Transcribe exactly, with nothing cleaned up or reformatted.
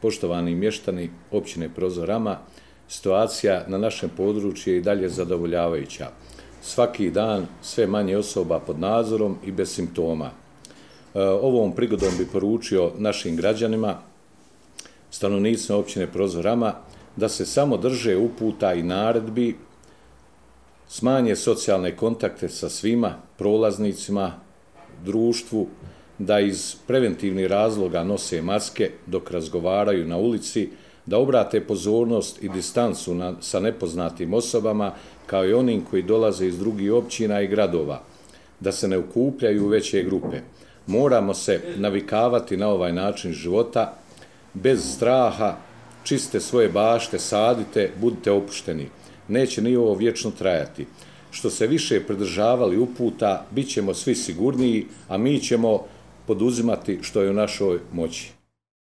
Poštovani mještani općine Prozor Rama, situacija na našem području je i dalje zadovoljavajuća. Svaki dan sve manje osoba pod nadzorom i bez simptoma. Ovom prigodom bi poručio našim građanima, stanovnicima općine Prozor Rama, da se samo drže uputa i naredbi, smanje socijalne kontakte sa svima prolaznicima, društvu, da iz preventivnih razloga nose maske dok razgovaraju na ulici, da obrate pozornost i distancu na, sa nepoznatim osobama, kao i onim koji dolaze iz drugih općina i gradova, da se ne okupljaju u veće grupe. Moramo se navikavati na ovaj način života, bez straha, čiste svoje bašte, sadite, budite opušteni. Neće ni ovo vječno trajati. Što se više pridržavali uputa, bit ćemo svi sigurniji, a mi ćemo poduzimati što je u našoj moći.